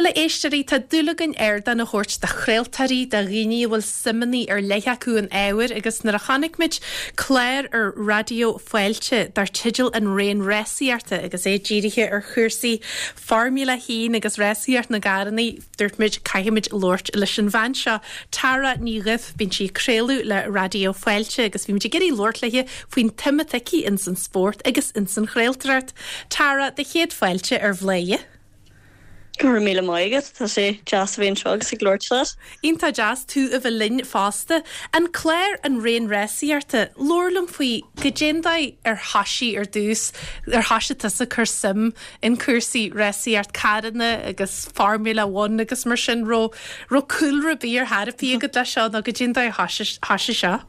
Bhuel, a éisteoirí, tá dúil againn ardán a thabhairt do chraoltóirí, do dhaoine a bhfuil suimeanna ar leith acu in ábhair agus nuair a chonaic muid clár ar Raidió Fáilte dar teideal An Raon Rásaíochta agus é dírithe ar chúrsaí Formula 1 agus rásaíocht na gcarrannaí, dúirt muid caithfimid labhairt leis an bhean seo, Tara Ní Dhuibh. Bíonn sí ag craoladh le Raidió Fáilte agus bhí muid ag iarraidh labhairt léi faoin tsuim atá aici ins an spórt agus ins an chraoltóireacht. Tara, do chéad fáilte ar Bhladhaire. Go raibh míle maith agat, tá sé deas a bheith anseo agus ag labhairt leat. Iontach deas tú a bheith linn fosta. An clár An Raon Rásaíochta, labhair liom faoi, goidé'n dóigh ar thoisigh ar dtús, ar thoisigh tusa ag cur suim in cúrsaí rásaíocht carranna agus Formula One agus mar sin, raibh, raibh cúlra ar bith ar chor ar bith agat leis seo nó goidé'n dóigh ar thoisigh seo?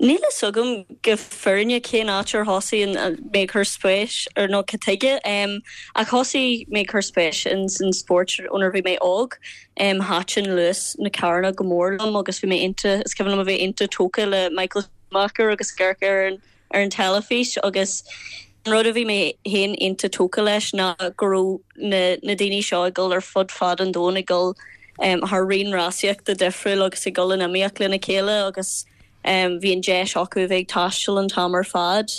Níl fhios agam go fírinne cén áit ar thosaigh mé ag cur spéis ar nó cad tuige ach thosaigh mé ag cur spéis in san spórt ónar bhí mé óg. Thaitin luas na carranna go mór liom agus bhí mé iontach, is cuimhin liom a bheith iontach tógtha le Michael Schumacher agus ag amharc air ar an teilifís agus an rud a bhí mé féin iontach tógtha leis ná go raibh na na daoine seo ag dul ar fud fad an domhain ag dul thar raon rásaíochta difriúil agus ag dul in iomaíocht lena chéile agus bhí an deis acu a bheith ag taisteal an t-am ar fad.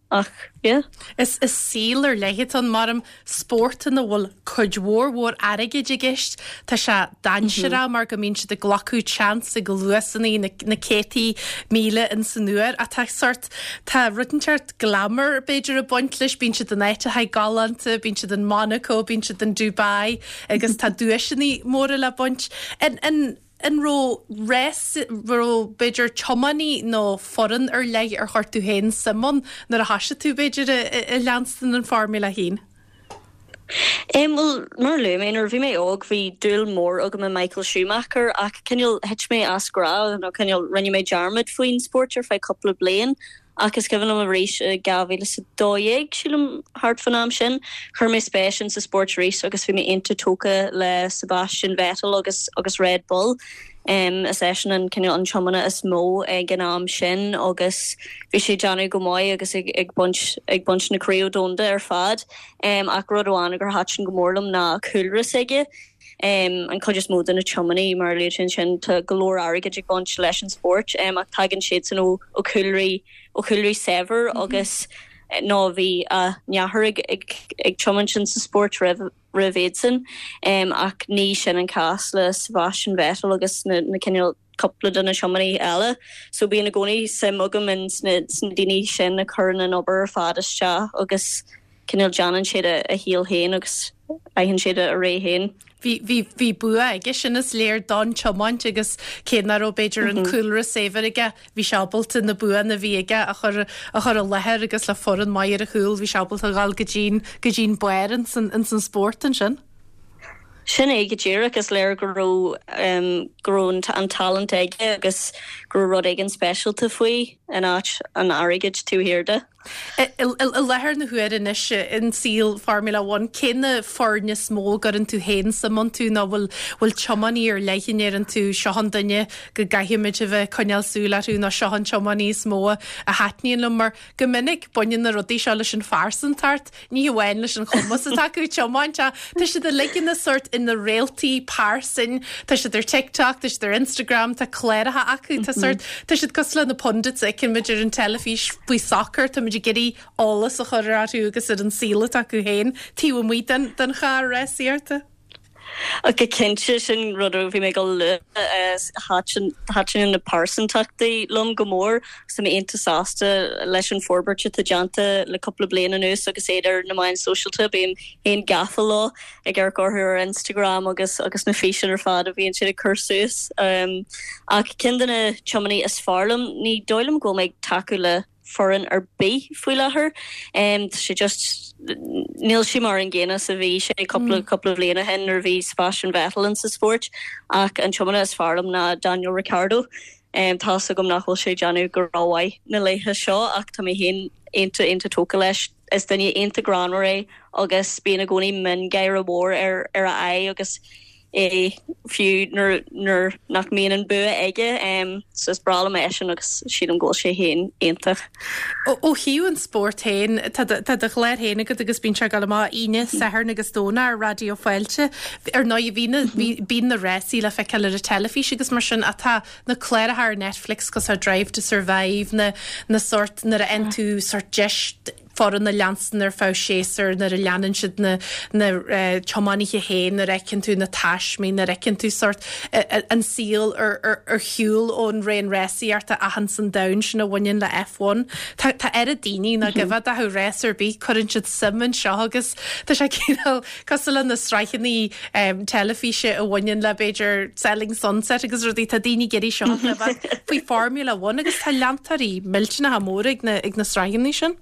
Ach yeah. Is saol ar leith atá ann, mar spórt ina bhfuil cuid mhór mhór airgid i gceist. Tá sé dainséarach mar go mbíonn siad ag glacadh chance ag luasanna na na céadtaí míle ins an uair ach tá sort, tá rud inteacht glamour b'fhéidir ag baint leis, bíonn siad in áiteacha galánta, bíonn siad in Monaco, bíonn siad in Dubai agus tá duaiseanna móra le baint. An, an, an raibh rás, raibh b'fhéidir tiománaí nó foireann ar leith ar chuir tú féin suim ann nuair a thoisigh tú b'fhéidir ag leanstan an Formula 1? Em, bhuel, mar a luaigh mé, nuair a bhí mé óg bhí dúil mhór agam i Michael Schumacher ach cineál thit mé as grá nó cineál rinne mé dearmad faoin spórt ar feadh cúpla bliain ach is cuimhin liom arís i 2012, sílim, thart fán am sin, chuir mé spéis in sa spórt arís agus bhí mé iontach tógtha le Sebastian Vettel agus agus Red Bull. Is eisean an cineál an tiománaí is mó ag an am sin agus bhí sé ag déanamh go maith agus ag ag baint ag baint na craobh domhanda ar fad. Ach rud amháin gur thaitin go mór liom ná cúlra s'aige. An chuid is mó de na tiománaí, mar a luaigh tú ansin, tá go leor airgid ag baint leis an spórt ach tagann siadsan ó ó chúlraí ó chúlraí saibhir agus nó bhí a n-athair ag ag ag tiomáint in sa spórt roimh roimh iadsan. Ach ní sin an cás le Sebastian Vettel agus na na cineál cúpla de na tiománaithe eile. So bíonn i gcónaí suim agam in sna sna daoine sin a chuireann an obair ar fad isteach agus cineál déanann siad a a shaol féin agus faigheann siad a ré féin. Bhí bhí bhí bua aige sin is léir don tiomáint agus cé nach raibh b'fhéidir an cúlra saibhir aige bhí sé ábalta na buanna a bhí aige a chur a chur i láthair agus le foireann maith ar a chúl bhí sé ábalta a dhul go dtí'n go dtí'n barr ins an ins an spórt ansin. Sin é go díreach, is léir go raibh go raibh an talent aige agus go raibh rud éigin speisialta faoi in áit an airgid taobh thiar de. I láthair na huaire anois in saol Formula One, cé na foirne is mó a gcuireann tú féin suim iontu nó bhfuil bhfuil tiománaí ar leith a ndeireann tú seo an duine go gcaithfimid a bheith ag coinneáil súil orthu nó seo an tiománaí is mó a thaitníonn liom mar go minic baineann na rudaí seo leis an phearsantacht Ní hamháin leis an chumas atá acu tiomáint ach tá siad uilig ina sórt ina réaltaí pearsan, tá siad ar TikTok, tá siad ar Instagram, tá cláracha acu, tá sórt, tá siad cosúil le na pundits a fheiceann muid ar an teilifís faoi soccer, tá muid ag iarraidh eolas a chur orthu agus ar an saol atá acu féin taobh amuigh den den charr rásaíochta. Go cinnte, sin rud a bhí mé ag dul a lua. Thaitin na pearsantachtaí liom go mór agus tá mé iontach sásta leis an forbairt atá déanta le cúpla bliain anuas agus iad ar na meáin sóisialta. Bím féin gafa leo, ag amharc orthu ar Instagram agus agus na físeáin ar fad a bhíonn siad ag cur suas. Ach ceann de na tiománaithe is fearr liom, ní dóigh liom go bhfuil mé ag tacú le foireann ar bith faoi láthair. Tá sé just, níl sé mar an gcéanna is a bhí sé cúpla cúpla bhliain ó shin nuair a bhí Sebastian Vettel in sa spórt ach an tiománaí is fearr liom ná Daniel Ricciardo. Tá's agam nach bhfuil sé ag déanamh go rómhaith na laetha seo ach tá mé féin iontach iontach tógtha leis. Is duine iontach greannmhar é agus bíonn i gcónaí miongháire mhór ar ar a aghaidh agus. é fiú nuair nuair nach mbíonn an bua aige. So is breá liom eisean agus sílim go bhfuil sé féin iontach. Ó thaobh an spóirt féin, tá do chlár féin agat agus bíonn sé ag dul amach Aoine, Satharn agus Domhnach ar Raidió Fáilte. Ar ndóigh, bíonn na rásaí le feiceáil ar an teilifís agus mar sin ach tá na cláracha ar Netflix cosúil le Drive to Survive, na na sórt nuair a fhaigheann tú sórt deis foireann a leanstan ar feadh séasúir, nuair a leanann siad na na tiománaithe féin, nuair a fheiceann tú na taismí, nuair a fheiceann tú sórt an saol ar ar ar shiúl ón raon rásaíochta achan san domhan sin a bhaineann le F1. Tá tá oiread daoine nach gheobhadh dath rás ar bith, cuireann siad suim anseo agus tá sé cineál cosúil le na sraitheanna teilifíse a bhaineann le b'fhéidir Selling Sunset agus rudaí, tá daoine ag iarraidh seo a chloisfeáil faoi Formula One agus tá leantóirí millteanacha móra ag na ag na sraitheanna sin.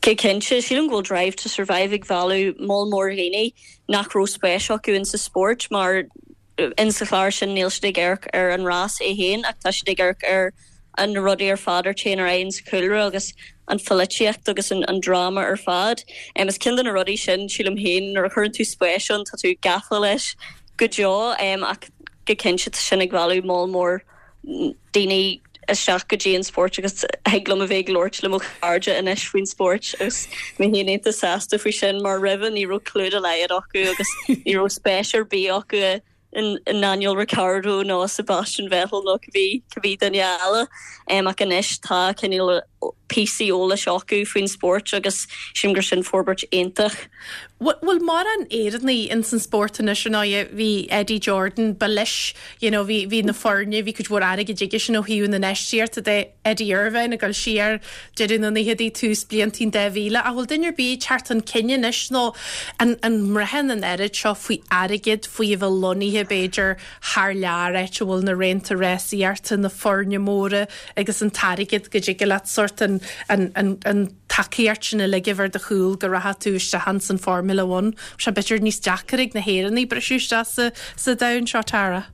Go cinnte, sílim go bhfuil Drive to Survive ag mhealladh moll mór dhaoine nach raibh spéis acu insa spórt mar insa chlár sin níl siad ag amharc ar an rás é féin ach tá siad ag amharc ar na rudaí ar fad a théann ar aghaidh insa chúlra agus an pholaitíocht agus an dráma ar fad. Is ceann de na rudaí sin, sílim féin, nuair a chuireann tú spéis ann tá tú gafa leis go deo ach go cinnte tá sin ag mhealladh moll mór daoine isteach go dtí an spórt agus thig liom a bheith ag labhairt le mo chairde anois faoin spórt agus mé féin iontach sásta faoi sin mar roimhe ní raibh clue dá laghad acu agus ní raibh spéis ar bith acu i nDaniel Ricciardo nó Sebastian Vettel nó cibé cibé duine eile ach anois tá cineál píosaí eolais acu faoin spórt agus sílim gur sin forbairt iontach. Bhfuil mórán Éireannaigh ins an spórt anois ar ndóigh bhí Eddie Jordan ba leis you know bhí bhí na foirne bhí cuid mhór airgid aige sin ó thaobh na n-infheistíochta de Eddie Irvine ag dul siar deireadh na naochadaí tús blianta an 2000 ach bhfuil duine ar bith ag teacht chun cinn anois nó an an mbraitheann an oiread seo faoi airgead faoi a bheith lonnaithe b'fhéidir thar lear áit a bhfuil na raonta rásaíochta na foirne móra agus an t-airgead go dtig leat sórt an an an an tacaíocht sin uilig a bheith ar do chúl go rachadh tú isteach ins an Formula One. Sé b'fhéidir níos deacair ag na hÉireannaigh briseadh isteach sa sa domhan seo, Tara.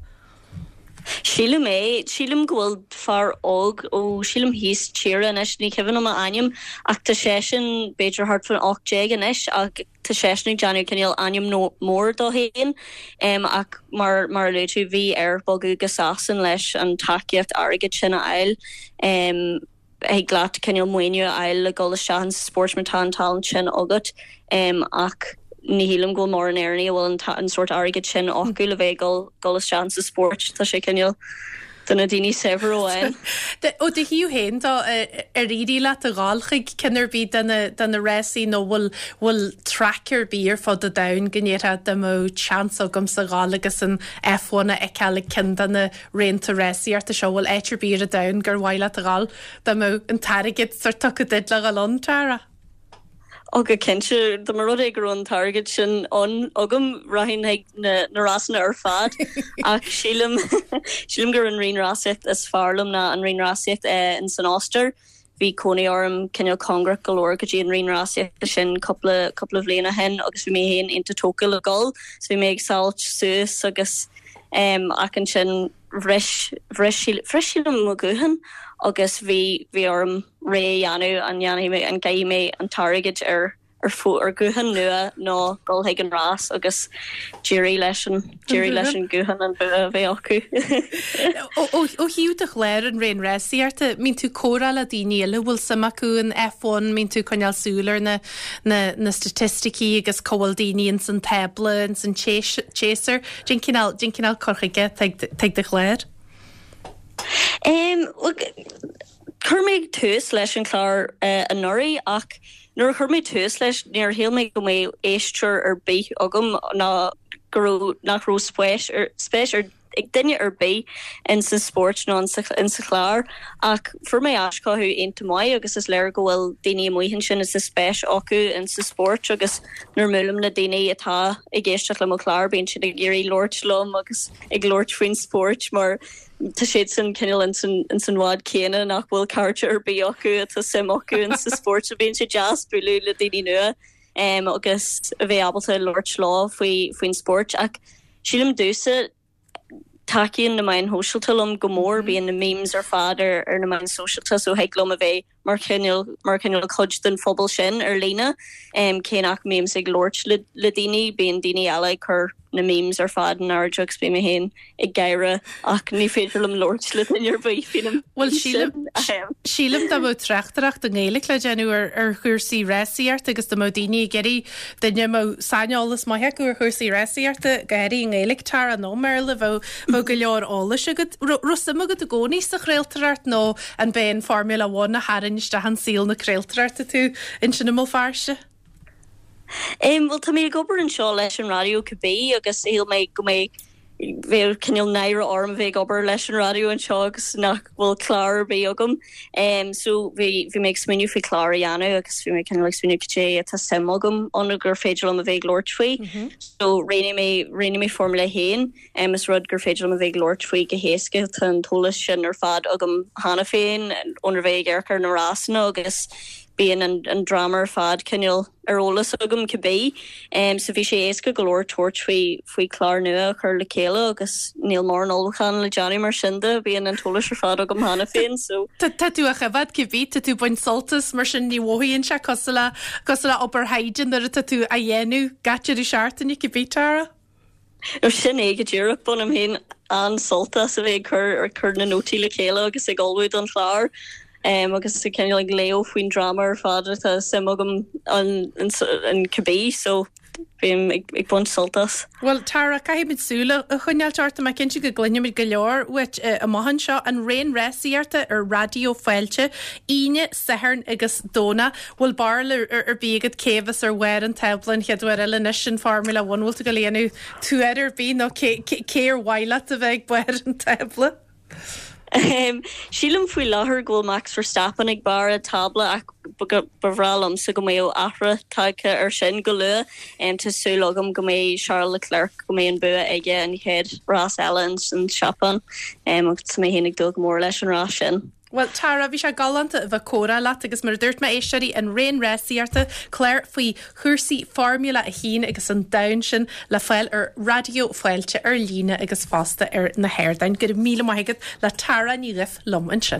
Sílim é. Sílim go bhfuil fear óg ó, sílim thíos tíre anois, ní cuimhin liom a ainm, ach tá seisean b'fhéidir thart fán 18 anois ach tá seisean ag déanamh cineál ainm mór dó féin. Ach mar mar a luaigh tú, bhí air bogadh go Sasain leis an tacaíocht airgid sin a fháil. Thig leat cineál maoiniú a fháil le dul isteach insa spórt má tá an tallann sin agat ach ní shílim go bhfuil mórán Éireannaigh a bhfuil an sórt airgid sin acu le bheith ag dul isteach insa spórt. Tá sé cineál do na daoine saibhir amháin. Ó do thaobh féin de, ar éirigh leat a dhul chuig ceann ar bith de na de na rásaí nó bhfuil bhfuil traic ar bith ar fud an domhain go ndéarfá dá mbeadh seans agamsa a dhul agus an F1 a fheiceáil ag ceann de na raonta rásaíochta seo, bhfuil áit ar bith ar an domhan gur mhaith leat a dhul dá mbeadh an t-airgead sórt tugtha duit le dhul ann, Tara? Ó go cinnte, dá mba rud é go raibh an t-airgead sin ann agam, rachainn chuig na na rásanna ar fad. Ach sílim sílim gur an raon rásaíocht is fearr liom ná an raon rásaíocht in san Ostair. Bhí cónaí orm cineál cóngarach go leor go dtí an raon rásaíochta sin cúpla cúpla bhliain ó shin agus bhí mé féin iontach tógtha le dhul so bhí mé ag samhailt suas agus em ach ansin bhris bhris bhris sílim mo ghuthán agus bhí bhí orm rogha a dhéanamh an ndéanfaidh mé an gcaithfidh mé an t-airgead ar ar ar ghuthán nua nó dul chuig an rás agus d'éirigh leis an d'éirigh leis an guthán an bua a bheith acu. Ó thaobh do chlár an raon rásaíochta, mbíonn tú ag comhrá le daoine eile a bhfuil suim acu in F1, mbíonn tú ag coinneáil súil ar na na na staitisticí agus cá bhfuil daoine ins an tábla, ins an tséasúr. Cén cineál cén cineál cur chuige atá ag do chlár? Em, Chuir mé tús leis an chlár anuraidh ach nuair a chuir mé tús leis níor shíl mé go mbeadh éisteoir ar bith agam ná go raibh nach raibh spéis ar spéis ar ag duine ar bith in sa spórt nó in sa in sa chlár ach fuair mé aischothú iontach maith agus is léir go bhfuil daoine amuigh ansin is spéis acu in sa spórt agus nuair a mbuailim le daoine atá ag éisteacht le mo chlár bíonn siad ag iarraidh labhairt liom agus ag labhairt faoin spórt mar Tá siadsan cineál ins an bhád céanna nach bhfuil cairde ar bith acu atá suim acu in sa spórt so bíonn sé deas bualadh le daoine nua agus a bheith ábalta labhairt leo faoi faoin spórt ach sílim domhsa tacaíonn na meáin shóisialta liom go mór bíonn na memes ar fad ar ar na meáin sóisialta so thig liom a bheith mar chineál mar chineál cuid den phobal sin ar líne cé nach mbímse ag labhairt le le daoine bíonn daoine eile ag cur. na memes ar fad in airde agus bím mé féin ag gáire ach ní féidir liom labhairt le duine ar bith faoin Bhuel sílim sílim dá mbeadh tráchtaireacht i nGaeilge le déanamh ar ar chúrsaí rásaíochta agus dá mbeadh daoine ag iarraidh duine a mbeadh saineolas maith acu ar chúrsaí rásaíochta, go háirithe i nGaeilge, Tara, nó i mBéarla, bheadh bheadh go leor eolais agat. Raibh suim agat i gcónaí sa chraoltóireacht nó an b'é an Formula One a tharraing isteach in saol na craoltóireachta tú ansin i mBéal Feirste? Bhuel, tá mé ag obair anseo leis an raidió cibé agus shíl mé go mbeadh, bheadh cineál náire orm a bheith ag obair leis an raidió anseo agus nach bhfuil clár ar bith agam. So bhí, bhí mé ag smaoineamh faoi chlár a dhéanamh agus bhí mé cineál ag smaoineamh cad é atá suim agam ann gur féidir liom a bheith ag labhairt faoi. So roghnaigh mé, roghnaigh mé Formula 1. Is rud gur féidir liom a bheith ag labhairt faoi go héasca. Tá an t-eolas sin ar fad agam cheana féin óna bheith ag amharc ar na rásanna agus bíonn an dráma ar fad cineál ar eolas agam cibé. So bhí sé éasca go leor tabhairt faoi faoi chlár nua a chur le chéile agus níl mórán ullmhúchán le déanamh mar sin de, bíonn an t-eolas ar fad agam cheana féin. So. Tá tú á choimhéad cibé, tá tú ag baint sult as, mar sin ní mhothaíonn sé cosúil le cosúil le obair thaighde nuair atá tú á dhéanamh gach deireadh seachtaine cibé, Tara. Nó sin é go díreach. Bainim féin an-sult as a bheith ag cur ag cur na nótaí le chéile agus ag ullmhú don chlár agus ag cineál ag léamh faoin dráma ar fad atá suim agam ann cibé so bím ag baint sult as. Bhuel, Tara, caithfimid súil a choinneáilt ort. Tá mé cinnte go gcluinfimid go leor uait amach anseo. An Raon Rásaíochta ar Raidió Fáilte, Aoine, Satharn agus Domhnach. Bhfuil barúil ar bith agat cé a bheas ar bharr an tábla an chéad uair eile anois in Formula One? Bhfuil tú ag dul a dhéanamh tuar ar bith nó cé cé ar mhaith leat a bheith ag barr an tábla? Sílim faoi láthair go bhfuil Max Verstappen ag barr an tábla ach ba bhreá liomsa go mbeadh athrú tagtha ar sin go luath. Tá súil agam go mbeidh Charles Leclerc, go mbeidh an bua aige an chéad rás eile in Seapáin agus tá mé féin ag dúil go mór leis an rás sin. Bhuel, Tara, bhí sé galánta a bheith ag comhrá leat agus mar a dúirt mé, éisteoirí, an Raon Rásaíochta, clár faoi chúrsaí Formula 1 agus an domhan sin le fáil ar Raidió Fáilte ar líne agus fosta ar na hardáin. Go raibh míle maith agat le Tara Ní Dhuibh liom ansin.